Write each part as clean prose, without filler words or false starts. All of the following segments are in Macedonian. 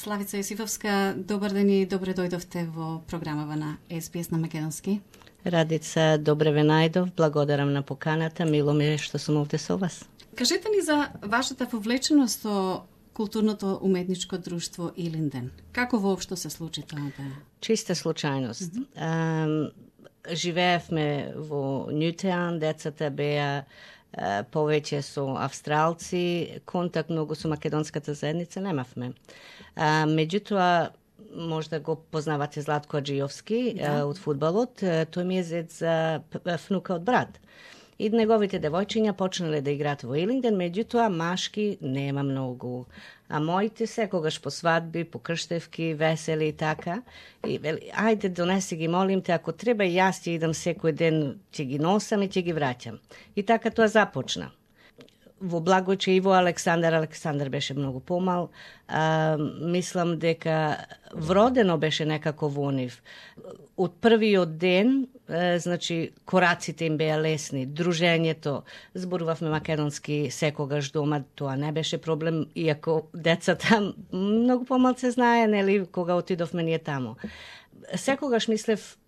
Славица Јосифовска, добар ден и добре дојдовте во програмава на SBS на македонски. Радица, добре ве најдов, благодарам на поканата, мило ми е што сум овде со вас. Кажете ни за вашата вовлеченост со културното уметничко друштво Илинден. Како воопшто се случи тоа да? Чиста случајност. Живеевме во Нјутеан, децата беа повеќе со австралци, контакт многу со македонската заедница немавме. Меѓутоа, можда го познавате Златко Аџијовски од фудбалот, тој ми е зет за внука од брат. И неговите девојчиња почнале да играат во Илинден, меѓутоа машки нема многу. А моите секогаш по свадби, по крштевки, весели и така. И вели, ајде донеси ги, молим те, ако треба и јас ќе идам секој ден, ќе ги носам и ќе ги враќам. И така тоа започна. Во Благојче и во Александар беше многу помал. Мислам дека вродено беше некако во нив. Од првиот ден, значи, кораците им беа лесни, дружењето, зборувавме македонски секогаш дома, тоа не беше проблем, иако децата многу помалце знае, нели, кога отидовме ние тамо. Секогаш мислев,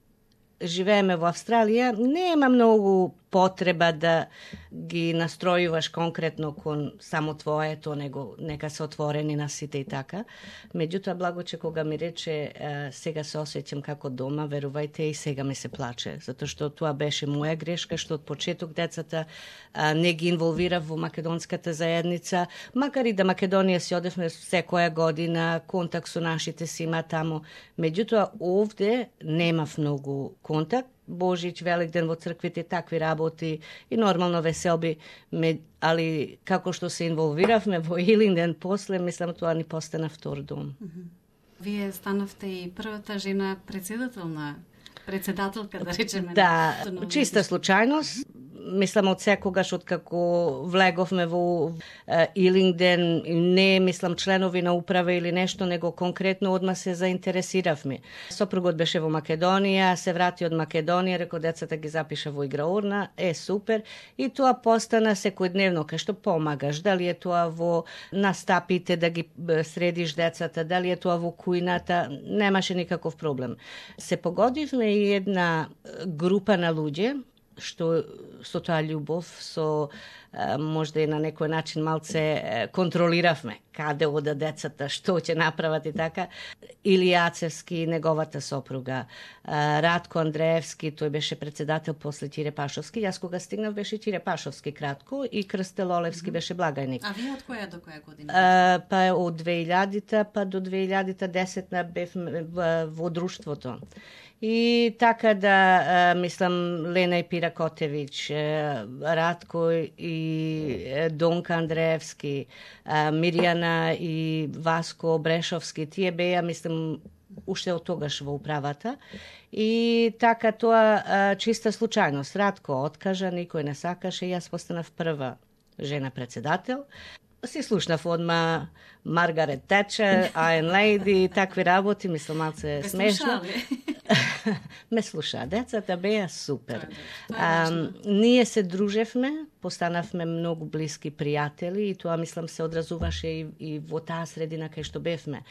живееме во Австралија, нема многу потреба да ги настројуваш конкретно кон само твоето, него нека се отворени на сите и така. Меѓутоа, Благоче кога ми рече сега се осеќам како дома, верувајте и сега ми се плаче, затоа што тоа беше моја грешка, што од почеток децата не ги инволвирав во македонската заедница, макар и да Македонија си одевме секоја година, контакт со нашите си има тамо. Меѓутоа, овде немав многу контакт. Божич, Великден во црквите, такви работи и нормално веселби, али како што се инволвиравме во Илинден после, мислам тоа ни постана втор дом. Вие станавте и првата жена председателка, да речеме. Да, чиста случајност. Мислам од секогаш од како влеговме во Илинден, не мислам членови на управа или нешто, него конкретно одма се заинтересиравме. Сопругот беше во Македонија, се врати од Македонија, реко децата ги запиша во играурна, супер, и тоа постана секојдневно, кај што помагаш, дали е тоа во настапите да ги средиш децата, дали е тоа во кујната, немаше никаков проблем. Се погодивме и една група на луѓе, што со таа љубов, со можда и на некој начин малце контролиравме каде ода децата, што ќе направат и така. Илија Ацевски, неговата сопруга, Радко Андреевски, тој беше председател после Тире Пашовски. Јас кога стигнав беше Тире Пашовски кратко и Крстел Олевски беше благајник. А вие од која до која година? Па од 2000-та па до 2010-та бев во друштвото. И така да, мислам, Лена и Пира Котевич, Радко и Донка Андреевски, Мирјана и Васко Брешовски, тие беа, мислам, уште од тогаш во управата. И така тоа чиста случајност. Радко откажа, никој не сакаше, јас постанав прва жена председател. Си слушнав одма Маргарет Течер, Iron Lady, такви работи, мислам, малце смешно. Ме слуша, децата беа супер. Ние се дружевме, постанавме многу блиски пријатели и тоа, мислам, се одразуваше и во таа средина кај што бевме.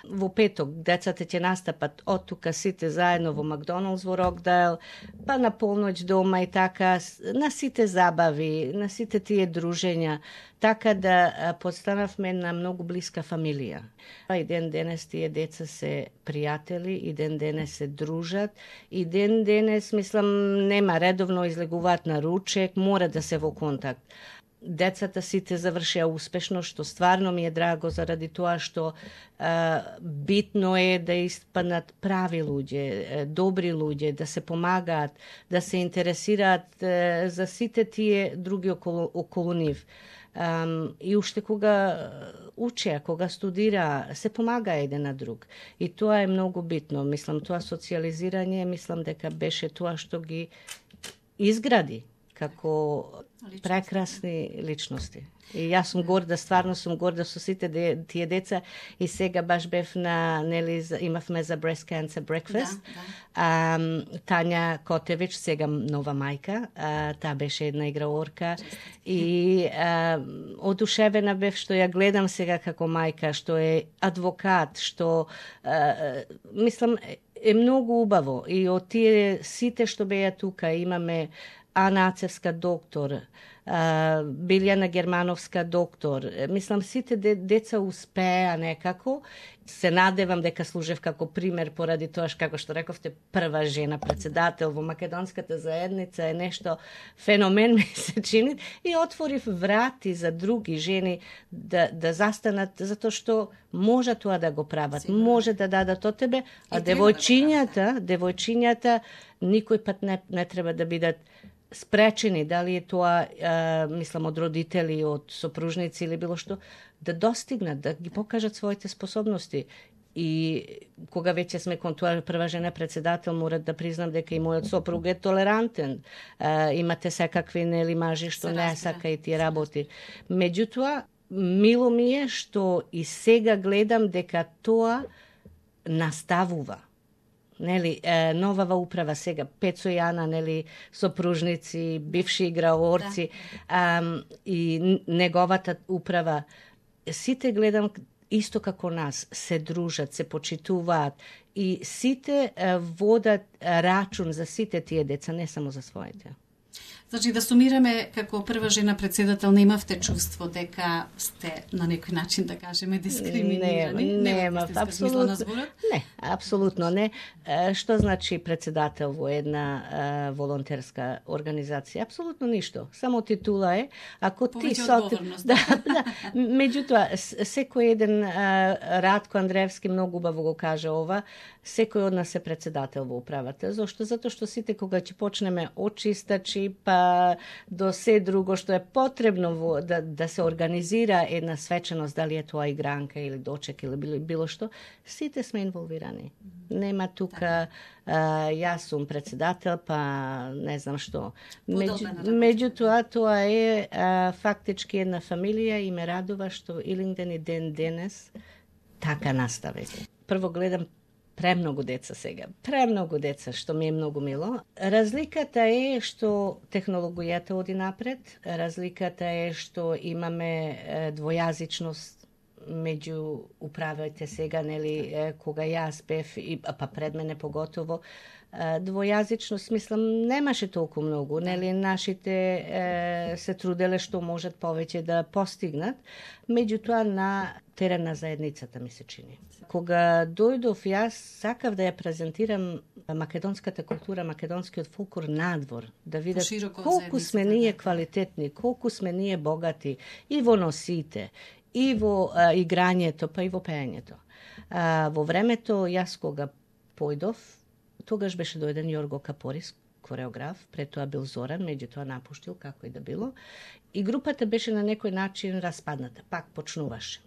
Во петок децата ќе настапат од тука сите заедно во Макдоналдс во Рокдайл, па на полноќ дома и така, на сите забави, на сите тие дружења, така да постанавме на многу блиска фамилија. И ден денес тие деца се пријатели, и ден денес се дружат, и ден денес, мислам, нема редовно излегуваат на ручек, мора да се во контакт. Децата сите завршија успешно, што стварно ми е драго заради тоа што битно е да испаднат прави луѓе, добри луѓе, да се помагаат, да се интересираат за сите тие други околу нив. И уште кога учеа, кога студира, се помага еден на друг. И тоа е многу битно. Мислам, тоа социализирање, мислам дека беше тоа што ги изгради како прекрасни личности. И јас сум горда, стварно сум горда со сите тие деца и сега баш бев на, нели, имавме за Breast Cancer Breakfast. Тања Котевич, сега нова мајка, таа беше една играорка и одушевена бев што ја гледам сега како мајка, што е адвокат, што мислам е многу убаво и од тие сите што беа тука имаме Ана Ацевска доктор, Билјана Германовска доктор. Мислам, сите деца успеа некако. Се надевам дека служев како пример поради тоа како што рековте, прва жена председател во македонската заедница е нешто феномен ми се чини и отворив врати за други жени да застанат затоа што може тоа да го прават, може да дадат од тебе, а девојчињата никој пат не треба да бидат спречени, дали е тоа, мислам, од родители, од сопружници или било што, да достигнат, да ги покажат своите способности. И кога веќе сме кон тоа прва жена председател, морат да признам дека и мојот сопруг е толерантен. Имате секакви, нели, мажи што не сака и тие работи. Меѓутоа, мило ми е што и сега гледам дека тоа наставува. Нели, новава управа сега, Пецо и Ана, нели, сопружници, бивши играорци, и неговата управа, сите гледам исто како нас, се дружат, се почитуваат и сите водат рачун за сите тие деца, не само за своите. Значи, да сумираме, како прва жена председател, немавте чувство дека сте на некој начин, да кажеме, дискриминирани? Нема, апсолутно. Не, апсолутно не. Што значи председател во една волонтерска организација? Апсолутно ништо. Само титула е. Ако ти одговорност. Меѓутоа, секој еден Радко Андреевски многу убаво го каже ова, секој од нас е председател во управата. Зошто? Затоа што сите кога ќе почнеме од чистачи, па до се друго што е потребно да се организира една свеченост, дали е тоа игранка или дочек или било што, сите сме инволвирани. Нема тука јас сум председател, па не знам што. Меѓутоа, тоа е фактички една фамилија и ме радува што Илинден и ден денес така настави. Прво гледам премногу деца сега. Премногу деца, што ми е многу мило. Разликата е што технологијата оди напред. Разликата е што имаме двојазичност меѓу управите сега, нели, кога јас бев, па пред мене поготово, двојазичност, мислам, немаше толку многу, нели, нашите се труделе што можат повеќе да постигнат, меѓутоа на терен на заедницата ми се чини. Кога дојдов, јас сакав да ја презентирам македонската култура, македонскиот фолклор надвор, да видат колку сме ние квалитетни, колку сме ние богати и во носите, и во играњето, па и во пеењето. Во времето, јас кога појдов, тогаш беше дојден Јорго Капорис, кореограф, пред тоа бил Зоран, меѓутоа напуштил, како и да било. И групата беше на некој начин распадната, пак почнуваше.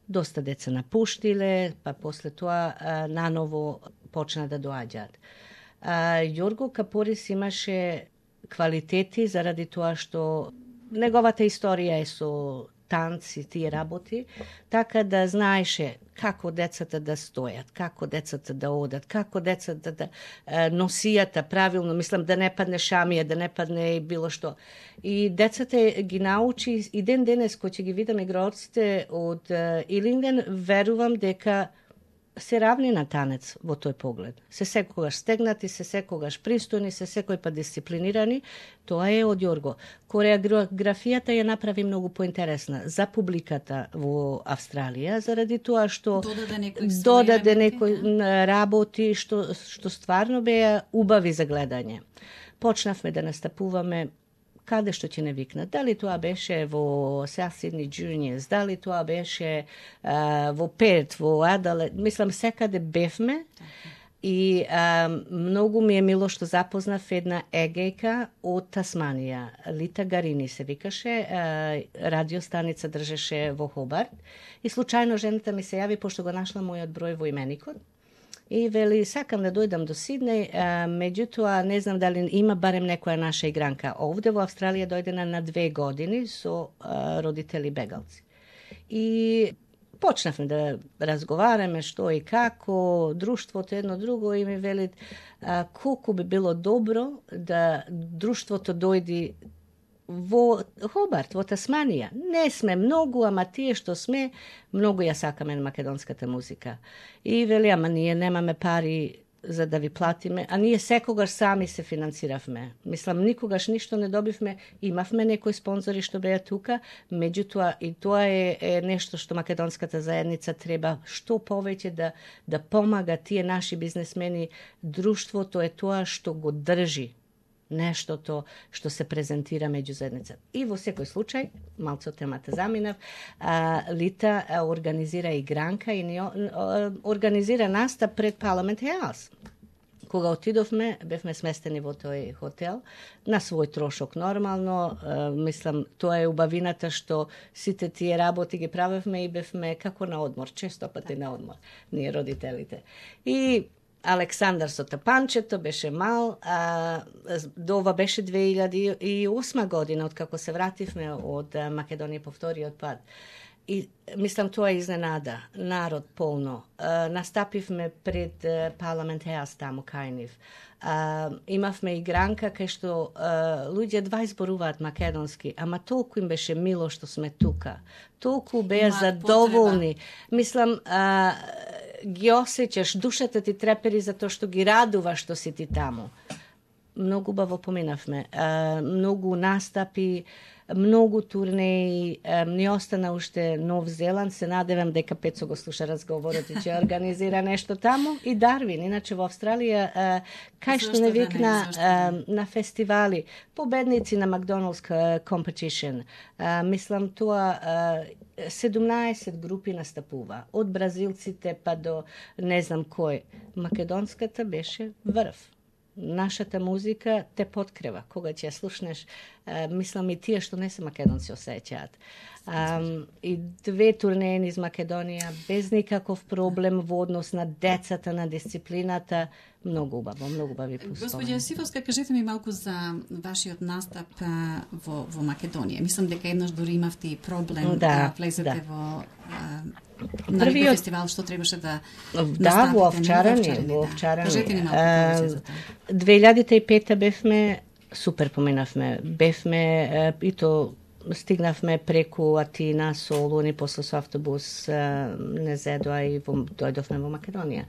Доста деца напуштиле, па после тоа наново почна да доаѓаат. Јорго Капорис имаше квалитети заради тоа што неговата историја е со танци, тие работи, така да знаеше како децата да стојат, како децата да одат, како децата да носијата правилно, мислам да не падне шамија, да не падне и било што. И децата ги научи и ден денес кој ќе ги видам играорците од Илинден, верувам дека се равни на танец во тој поглед. Се секогаш стегнати, се секогаш пристојни, се секој па дисциплинирани. Тоа е од Јорго. Кореографијата ја направи многу поинтересна за публиката во Австралија, заради тоа што додаде некои работи што стварно беа убави за гледање. Почнавме да настапуваме каде што ќе не викнат. Дали тоа беше во South Sydney Juniors, дали тоа беше во Перт, во Адалет, мислам секаде бевме и многу ми е мило што запознав една егејка од Тасманија. Лита Гарини се викаше, радиостаница држеше во Хобарт и случајно жената ми се јави, пошто го нашла мојот број во именикот И вели, сакам да дојдам до Сиднеј, меѓутоа не знам дали има барем некоја наша игранка. Овде во Австралија дојдена на 2 години со родители бегалци. И почнавме да разговараме што и како, друштвото едно друго и ми велит колку би било добро да друштвото дојди во Хобарт, во Тасманија. Не сме многу, ама тие што сме, многу ја сакаме на македонската музика. И вели, ама ние немаме пари за да ви платиме, а ние секогаш сами се финансиравме. Мислам, никогаш ништо не добивме, имавме некои спонзори што беа тука, меѓутоа и тоа е нешто што македонската заедница треба што повеќе да помага тие наши бизнесмени. Друштвото е тоа што го држи нештото што се презентира меѓу заедница. И во секој случај, малце од темата заминав, Лита организира игранка и организира настап пред Парламент Хаус. Кога отидовме, бевме сместени во тој хотел, на свој трошок нормално. Мислам, тоа е убавината што сите тие работи ги правевме и бевме како на одмор, често пати на одмор, ние родителите. И Александар со тапанчето беше мал, до ова беше 2008 година, откако се вративме од Македонија по вториот пат. И мислам, тоа е изненада. Народ полно. Настапивме пред Парламент Хаус таму кај нив. Имавме игранка кај што луѓе два изборуваат македонски, ама толку им беше мило што сме тука. Толку беа задоволни. Мислам, ги осеќаш, душата ти трепери за тоа што ги радува што си ти таму. Многу убаво поминавме. Многу настапи, многу турнеи, ни остана уште Нов Зеланд, се надевам дека Пецо го слуша разговорот и ќе организира нешто таму, и Дарвин, иначе во Австралија, кај што не викна на фестивали, победници на Макдоналдс Competition. Мислам, тоа 17 групи настапува, од бразилците па до не знам кој. Македонската беше врв. Нашата музика те подкрева. Кога ќе ја слушнеш, мислам и тие што не се македонци осеќаат. И 2 турнеи низ Македонија, без никаков проблем во однос на децата, на дисциплината. Многу убаво, многу убави пуспомен. Господја Јосифовска, кажете ми малку за вашиот настап во Македонија. Мислам дека еднаш дури имавте и проблем да влезете во првиот фестивал што требаше да настапите. Во Овчарани. Кажете ни малку повеќе за тоа. 2005 бевме, супер поминавме, бевме и то стигнавме преку Атина, Солун и после со автобус не зедоа и дојдовме во Македонија.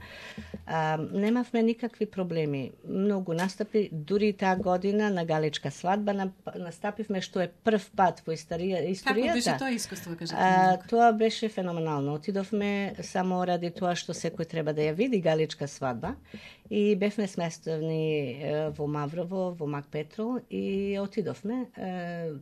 Немавме никакви проблеми. Многу настапи, дури и таа година на Галичка свадба настапивме, што е прв пат во историјата. Како беше тоа искуство, кажете? Тоа беше феноменално. Отидовме само ради тоа што секој треба да ја види Галичка свадба. И бевме сместени во Маврово, во Макпетрол и отидовме.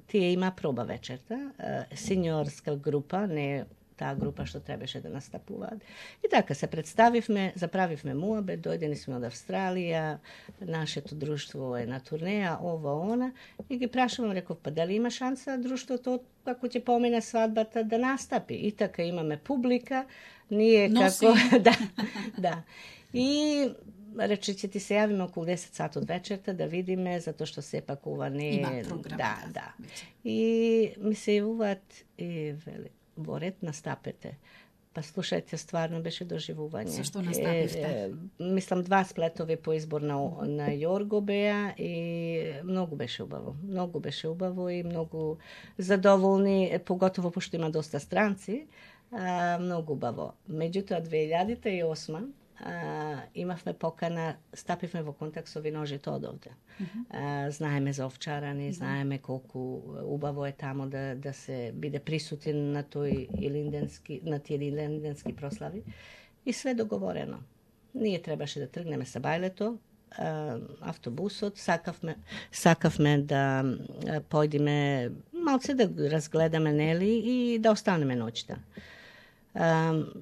Тие има проба вечерта, синьорска група, не таа група што требаше да настапуваат. И така се представивме, заправивме муабет, дојдени сме од Австралија, нашето друштво е на турнеја, ова, она, и ги прашувам, реков, па дали има шанса друштвото, како ќе помине свадбата, да настапи? И така имаме публика, ние како... Да. И рече, ќе ти се јавиме околу 10 сат од вечерта да видиме, затоа што сепак ова не е... Има програма. Да. И ми се јавуваат и вели, во ред настапете. Па слушајте, стварно беше доживување. Зашто настапивте? Мислам, 2 сплетови по избор на Јорго беа и многу беше убаво. Многу беше убаво и многу задоволни, поготово пошто има доста странци, многу убаво. Меѓутоа, 2008 имавме покана, стапивме во контакт со виножите од овде. Знаеме за Овчарани, знаеме колку убаво е тамо да се биде присутен на тој на тие илинденски прослави. И све договорено. Ние требаше да тргнеме со бајлето, автобусот, сакавме да појдеме малце да разгледаме, нели, и да останеме ноќта.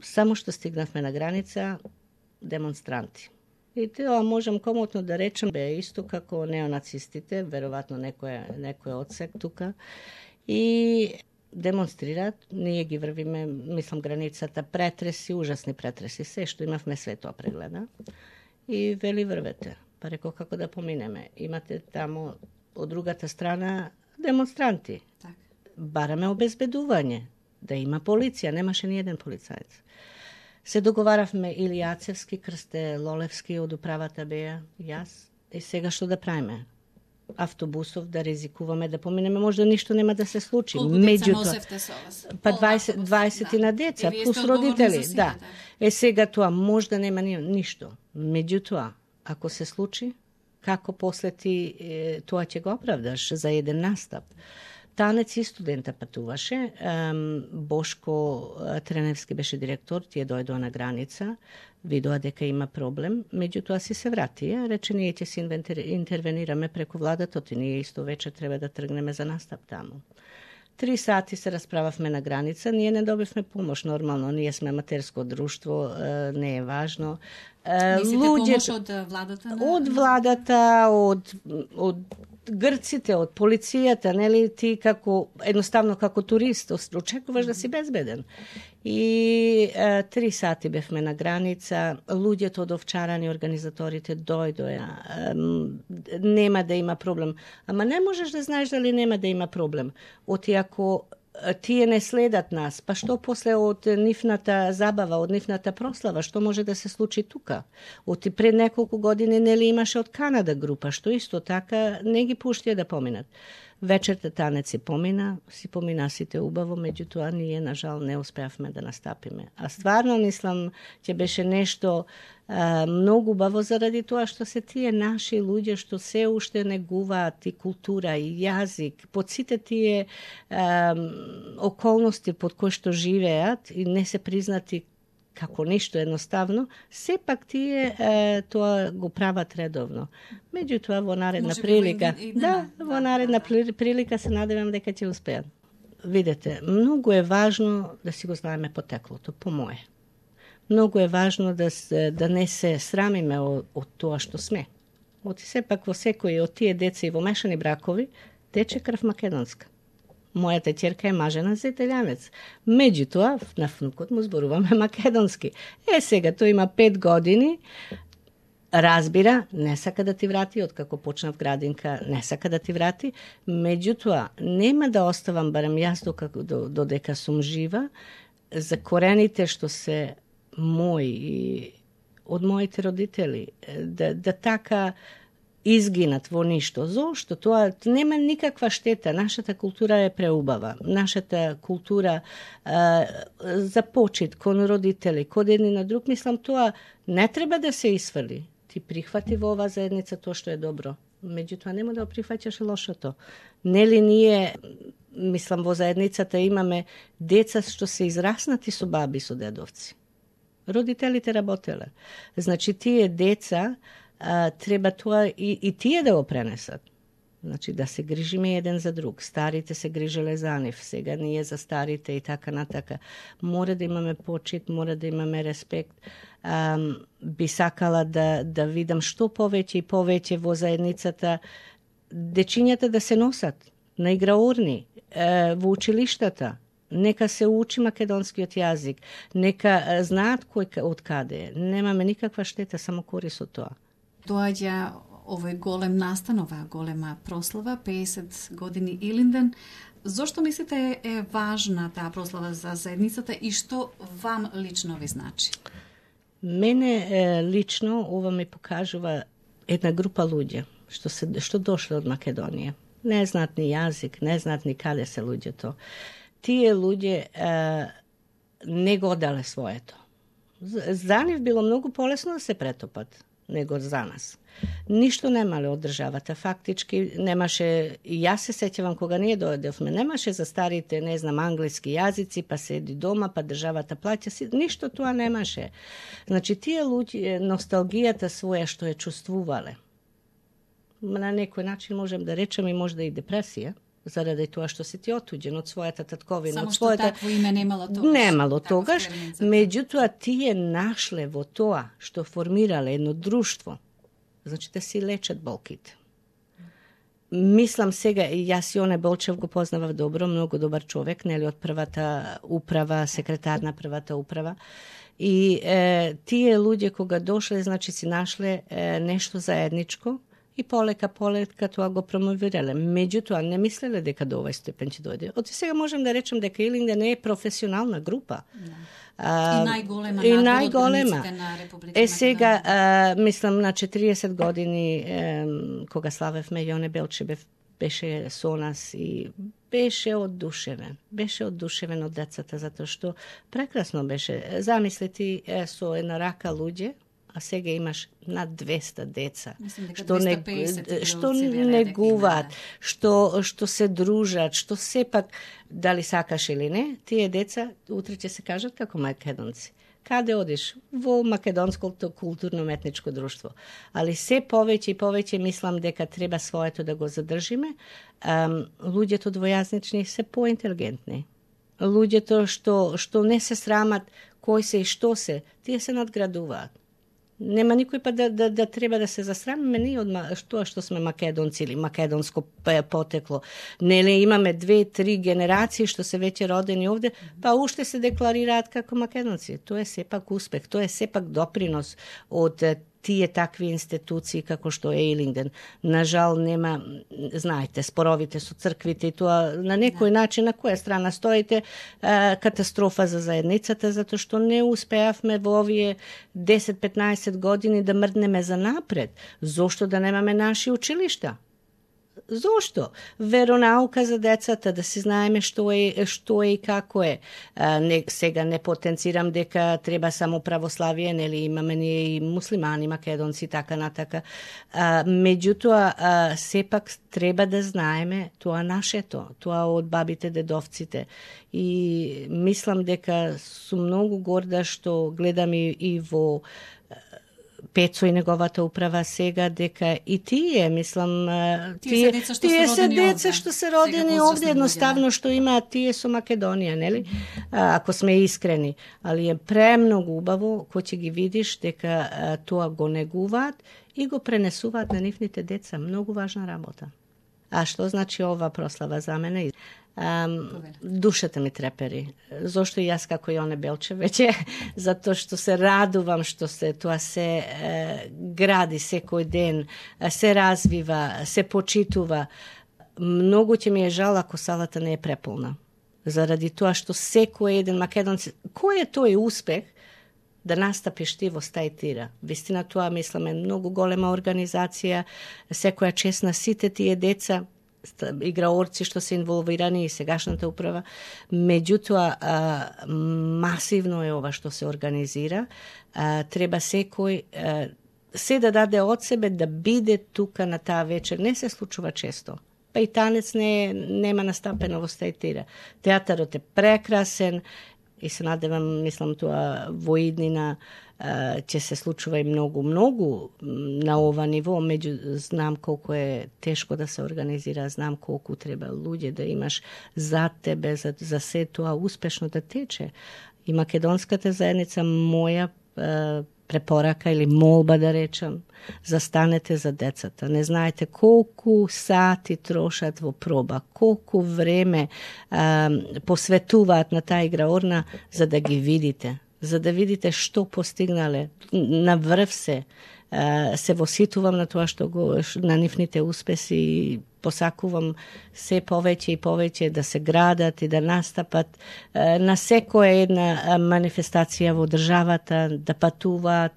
Само што стигнавме на граница, демонстранти. И тоа можам комотно да речем, бе исто како неонацистите, веројатно некој одсек тука. И демонстрираат, ние ги врвиме, мислам, границата, претреси, ужасни претреси, се што имавме све тоа прегледа. И вели врвете. Па реко како да поминеме. Имате тамо од другата страна демонстранти. Так. Бараме обезбедување, да има полиција, немаше ни еден полицаец. Се договаравме Илијацевски, Крсте Лолевски од управата беа, јас, и сега што да правиме? Автобусов да ризикуваме да поминеме, можда ништо нема да се случи. Колку деца носевте со вас? Па 20 на деца, плюс родители. Да. Сега тоа можда нема ништо. Меѓутоа, ако се случи, како после ти тоа ќе го оправдаш за еден настап? Танец и студента патуваше. Бошко Треневски беше директор, тие дојдоа на граница, видоа дека има проблем, меѓутоа си се врати. Рече, ние ќе се интервенираме преку владата, и ние исто вече треба да тргнеме за настап таму. 3 сати се расправавме на граница, ние не добивме помош, нормално, ние сме аматерско друштво, не е важно. Мислите помош од владата? Од владата, од грците, од полицијата, нели, ти едноставно како турист очекуваш да си безбеден. И 3 сати бевме на граница, луѓето од Овчарани, организаторите дојдоа, нема да има проблем. Ама не можеш да знаеш дали нема да има проблем. Оти ако тие не следат нас, па што после од нивната забава, од нивната прослава, што може да се случи тука? Оти пред неколку години нели имаше од Канада група, што исто така не ги пуштија да поминат. Вечерта танец си помина сите убаво, меѓутоа ние на жал не успеавме да настапиме. А стварно мислам ќе беше нешто многу убаво заради тоа што се тие наши луѓе што се уште негуваат и култура и јазик, под сите тие околности под кои што живеат и не се признати како ништо едноставно, сепак тие тоа го прават редовно. Меѓутоа во наредна прилика, во наредна прилика се надевам дека ќе успеат. Видете, многу е важно да си го знаеме потеклото, по мое. Многу е важно да не се срамиме од тоа што сме. Сепак во секој од тие деца и во мешани бракови тече крв македонска. Мојата ќерка е мажена за италијанец. Меѓутоа, на внукот му зборуваме македонски. Сега тој има 5 години, разбира, не сака да ти врати, откако почнав градинка, не сака да ти врати, меѓутоа, нема да оставам, барем јас додека сум жива, за корените што се мои и од моите родители, да така изгинат во ништо. Зошто? Тоа нема никаква штета. Нашата култура е преубава. Нашата култура за почит кон родители, кон едни на друг, мислам, тоа не треба да се исфрли. Ти прихвати во оваа заедница тоа што е добро. Меѓутоа нема да прифаќаш лошото. Нели ние, мислам, во заедницата имаме деца што се израснати со баби, со дедовци. Родителите работеле. Значи, тие деца треба тоа и тие да го пренесат. Значи, да се грижиме еден за друг. Старите се грижеле за нив, сега ние за старите и така натака. Мора да имаме почит, мора да имаме респект. Би сакала да видам што повеќе и повеќе во заедницата дечињата да се носат на играурни, во училиштата. Нека се учи македонскиот јазик, нека знаат кој од каде е. Немаме никаква штета, само корис од тоа. Доаѓа овој голем настан, оваа голема прослава, 50 години Илинден. Зошто мислите е важна таа прослава за заедницата и што вам лично ви значи? Мене лично ова ми покажува една група луѓе што дошле од Македонија. Не знаат ни јазик, не знаат ни каде се луѓето. Тие луѓе не го дале своето. За нив било многу полесно да се претопат него за нас. Ништо немале од државата. Фактички немаше, и јас се сеќавам кога ние дојдовме, немаше за старите, не знам, англиски јазици, па седи дома, па државата плаќа си, ништо тоа немаше. Значи, тие луѓе, носталгијата своја што е чувствувале, на некој начин можем да речем и можда и депресија, заради тоа што си ти отуѓен од својата татковина. Само што такво име немало тогаш. Немало тогаш, меѓутоа тие нашле во тоа што формирале едно друштво, значи да си лечат болките. Мислам сега, јас Јоне Болчев го познавав добро, многу добар човек, нели, од првата управа, секретар на првата управа. И тие луѓе кога дошле, значи си нашле нешто заедничко и полека тоа го промовирале. Меѓутоа, не мислеле дека до овој степен ќе дојде. Од сега можем да речем дека Илингден не е професионална група. И најголема на Република сега, мислам, на 40 години, кога славевме, Јоне Белчев беше со нас и беше оддушевен. Беше оддушевен од децата, затоа што прекрасно беше. Замисли ти со една рака луѓе, а сега имаш над 200 деца, што негуваат, што се дружат, што сепак, дали сакаш или не, тие деца утре ќе се кажат како македонци. Каде одиш? Во македонското културно-метничко друштво. Али се повеќе и повеќе мислам дека треба своето да го задржиме. Луѓето двојазнични се поинтелигентни. Луѓето што не се срамат кој се и што се, тие се надградуваат. Нема никој па да треба да се засрамиме ние од тоа што сме македонци или македонско потекло. Нели имаме 2-3 генерации што се веќе родени овде, па уште се декларираат како македонци. Тоа е сепак успех, тоа е сепак допринос од тие такви институции како што е Илингден. Нажал нема, знаете, споровите со црквите и тоа на некој начин, на која страна стоите, катастрофа за заедницата, затоа што не успеавме во овие 10-15 години да мрднеме за напред. Зошто да немаме наши училишта? Зошто? Веронаука за децата, да си знаеме што е и како е. Сега не потенцирам дека треба само православие, нели имаме ние и муслимани, македонци, така натака. Меѓутоа, сепак треба да знаеме тоа нашето, тоа од бабите, дедовците. И мислам дека сум многу горда што гледам и во Пецо и неговата управа сега, дека и тие, мислам, тие се деца што се родени овде, едноставно што имаат тие со Македонија, нели? Ако сме искрени. Али е премногу убаво кој ќе ги видиш дека тоа го негуваат и го пренесуваат на нивните деца. Многу важна работа. А што значи ова прослава за мене? Душата ми трепери. Зошто и јас како Јоне Белчев веќе, затоа што се радувам што тоа се гради секој ден, се развива, се почитува. Многу ќе ми е жал ако салата не е преполна. Заради тоа што секој еден македонец, кој е тој успех да настапиш ти во стајтира? Вистина тоа, мислам, е многу голема организација, секоја чест на сите тие деца, играорци што се инволвирани и сегашната управа. Меѓутоа, масивно е ова што се организира. Треба секој се да даде од себе да биде тука на таа вечер. Не се случува често. Па и танец нема настапено во стајтира. Театарот е прекрасен и се надевам, мислам, тоа во иднина ќе се случува и многу на ова ниво, знам колку е тешко да се организира, знам колку треба луѓе да имаш за тебе, за се тоа успешно да тече. И македонската заедница, моја препорака или молба да речам, застанете за децата. Не знаете колку сати трошат во проба, колку време посветуваат на таа играорна за да ги видите, за да видите што постигнале. На врв се воситувам на тоа што на нивните успеси и посакувам се повеќе и повеќе да се градат и да настапат на секоја една манифестација во државата, да патуваат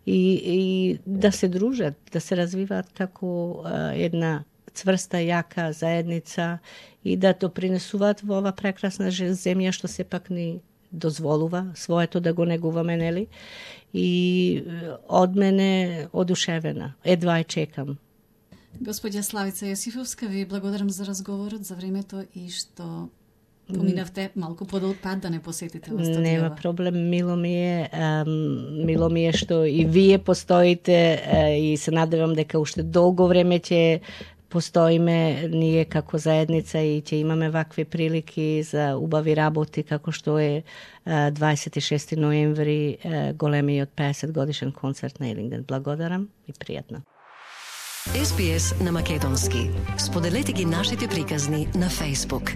и да се дружат, да се развиваат како една цврста, јака заедница и да допринесуваат во ова прекрасна земја што сепак ни дозволува своето да го негуваме, нели? И од мене одушевена. Едва ја чекам. Господја Славица Јосифовска, ви благодарам за разговорот, за времето и што поминавте малку подолг пат да не посетите во студијава. Нема проблем, мило ми е што и вие постоите и се надевам дека уште долго време ќе постоиме ние како заедница и ќе имаме вакви прилики за убави работи како што е 26. ноември големиот 50 годишен концерт на Илингден. Благодарам и пријатно. SBS на македонски. Споделете ги нашите приказни на Facebook.